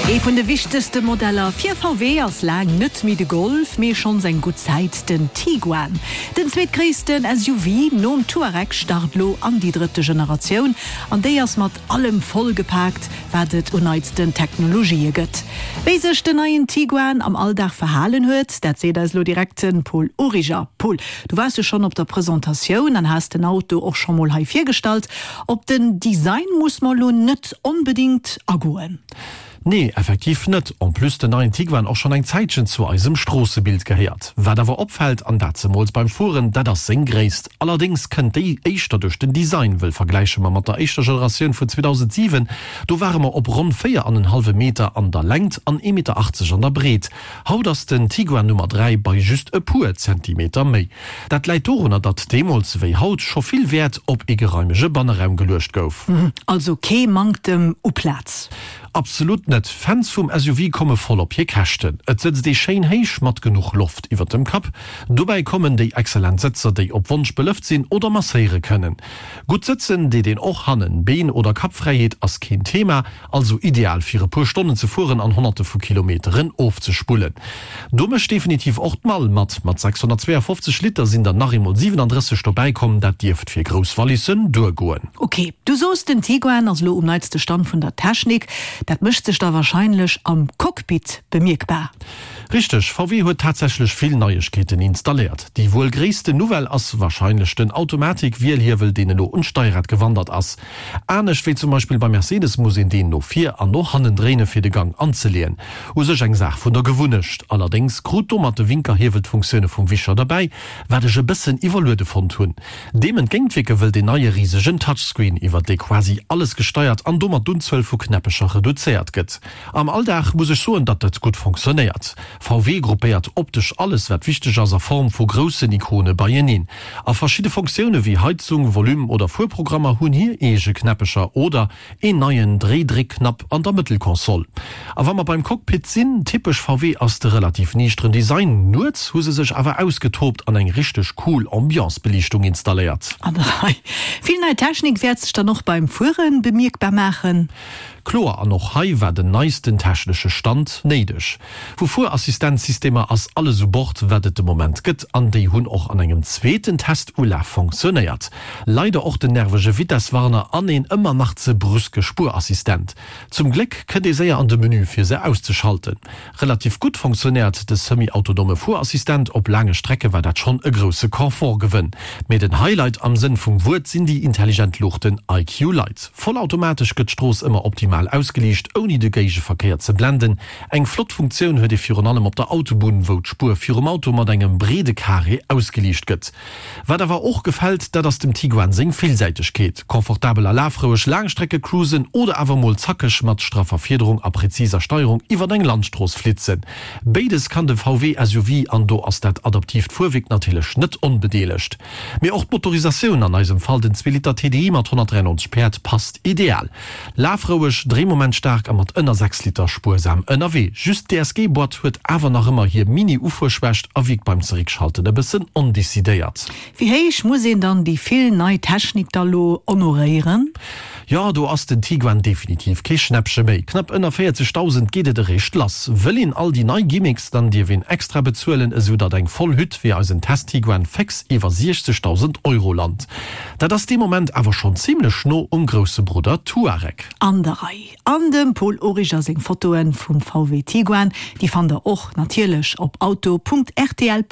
Ee vun de wichtegste Modeller fir VW ass laang net méi de Golf, mee schonns eng gutt Zäit den Tiguan. Den zweetgréissten SUV nom Touareg start lo an déi drëtte Generatioun an déi ass mat allem voll gepaakt, wat et un neitsten Technologië gëtt. Wéi sech den neien Tiguan am Alldag verhalen huet, dat seet eis lo direkt de Paul Origer. Paul, du waars jo schonn op der Presentatioun an has den Auto och scho mol hei virgestallt. Op den Design muss mer lo net onbedingt agoen. Nee, effektiv net. En plus den neien Tiguan och schonn eng Zäitchen zu eisem Stroossebild gehéiert. Wat awer opfält, an dat zemools beim Fueren, dat ass seng Gréisst. Allerdéngs kënnt déi éischter duerch den Design, wëll vergläiche mer mat der éischter Generatioun vun 2007, do ware mer op ronn 4 an en hallwe Meter an der Längt an ee Meter 80 an der Breet. Haut ass den Tiguan Nummer 3 bei just e puer Zentimeter méi. Dat läit dorunner, datt deemools wéi haut scho vill Wäert op ee geraimege Banneraum geluecht gouf. Also kee Manktem u Plaz? Absolut net. Fans vum SUV komme voll op hir Käschten. Et sëtzt ee schéin héich mat genuch Loft iwwer dem Kapp. Dobäi kommen déi excellent Sëtzer, déi op Wonsch belëft sinn oder masséiere kënnen. Gutt sëtzen deet een och hannen. Been oder Kappfräiheet ass keen Thema. Also ideal fir e puer Stonnen ze fueren an honnerte vu Kilometeren ofzespullen. Do mécht definitiv och d'Mall mat. Mat 652 Liter sinn der nach eemol 37 dobäi komm, dat dierft fir grouss Wallissen duergoen. Ok, du soos den Tiguan ass elo um neitste Stand vun der Technik. Dat mécht sech da wahrscheinlech am Cockpit bemierkbar. Richteg, VW huet tatsächlech vill Neiegkeeten installéiert. Déi wuel gréissten Nouvelle ass wahrscheinlech den Automatik-Wielhiewel, deen elo un d'Steierrad gewandert ass. Anescht wéi zum Beispill beim Mercedes muss een deen no vir an no hannen dréine fir de Gang anzeleeën. U sech eng Saach vun der Gewunnecht. Allerdéngs krut domat de Winkerhiewel d'Funktioune vum Wischer derbäi, wat ech e bëssen iwwerluede fonnt hunn. Deem entgéintwierke wëll deen neie risegen Touchscreen, iwwer dee quasi alles gesteiert an domat d'Unzuel vu Knäppecher reduzéiert gëtt. Am Alldag muss ech soen, datt dat gutt fonctionnéiert. VW gruppéiert optesch alles wat wichteg ass a Form vu groussen Ikone beieneen. A verschidde Fonctioune wéi Heizung, Volume oder Fuerprogrammer hunn hir eege Knäppecher oder een neien Dréi-Dréckknapp an der Mëttelkonsol. A wa mer beim Cockpit sinn, typesch VW ass de relativ niichteren Design. Nuets hu se sech awer ausgetoobt an eng richteg cool Ambiance-Beliichtung installéiert. An der Rei. Vill nei Technik wäert sech dann och beim Fuere bemierkbar maachen. Kloer, an och hei war den neisten technesche Stand néideg. Vu Fuerassistenzsystemer ass alles u Bord, wat et de Moment gëtt, an déi hunn och an engem zweeten Testulaf fonctionnéiert. Leider och den nervege Vitesswarner an een ëmmer nach ze brüske Spuerassistent. Zum Gléck kënnt ee séier an de Menü fir se auszeschalten. Relativ gutt fonctionnéiert de semi-autonome Fuerassistent, op laange Strecke war dat schonn e grousse Confort-Gewënn. Mee den Highlight am Sënn vum Wuert sinn déi intelligent Luuchten IQ Light. Vollautomatesch gëtt d'Strooss ëmmer optimal ausgeliicht, ouni de Géigeverkéier ze blenden. Eng flott Funktioun huet ee virun allem op der Autobunn, wou d'Spuer virum Auto mat engem breede Carré ausgeliicht gëtt. Wat awer och gefält, dat ass dem Tiguan seng Villsäitegkeet. Confortabel a lafroueg Laangstrecke cruisen oder awer mol zackeg mat straffer Fiederung a präziser Steierung iwwert eng Landstrooss flitzen. Béides kann de VW SUV an do ass dat adaptiivt Fuerwierk natierlech net onbedeelegt. Mee och d'Motorisatioun, an eisem Fall den Zweeliter TDI mat 193 Päerd, passt ideal. Lafroueg, dréimomentstaark a mat ënner 6 Liter spuersam ënnerwee. Just d'DSG-Boîte huet awer nach ëmmer hir Mini-Ufuerschwächt a wierkt beim Zeréckschalten e bëssen ondecidéiert. Wéi héich muss een dann déi vill nei Technik da lo honoréieren? Jo, do ass den Tiguan definitiv kee Schnäppche méi. Knapp ënner 40.000 geet et eréischt lass. Wëll een all déi nei Gimmicks, dann dierf een extra bezuelen, esou datt eng voll Hütt wéi eisen Test-Tiguan féx iwwer 60.000 Euro lant. Dat ass dee Moment awer schonn zimlech no um grousse Brudder Touareg. An der Rei. An dem Paul Origer seng Fotoen vum VW Tiguan, déi fannt der och natierlech op auto.rtl.lu.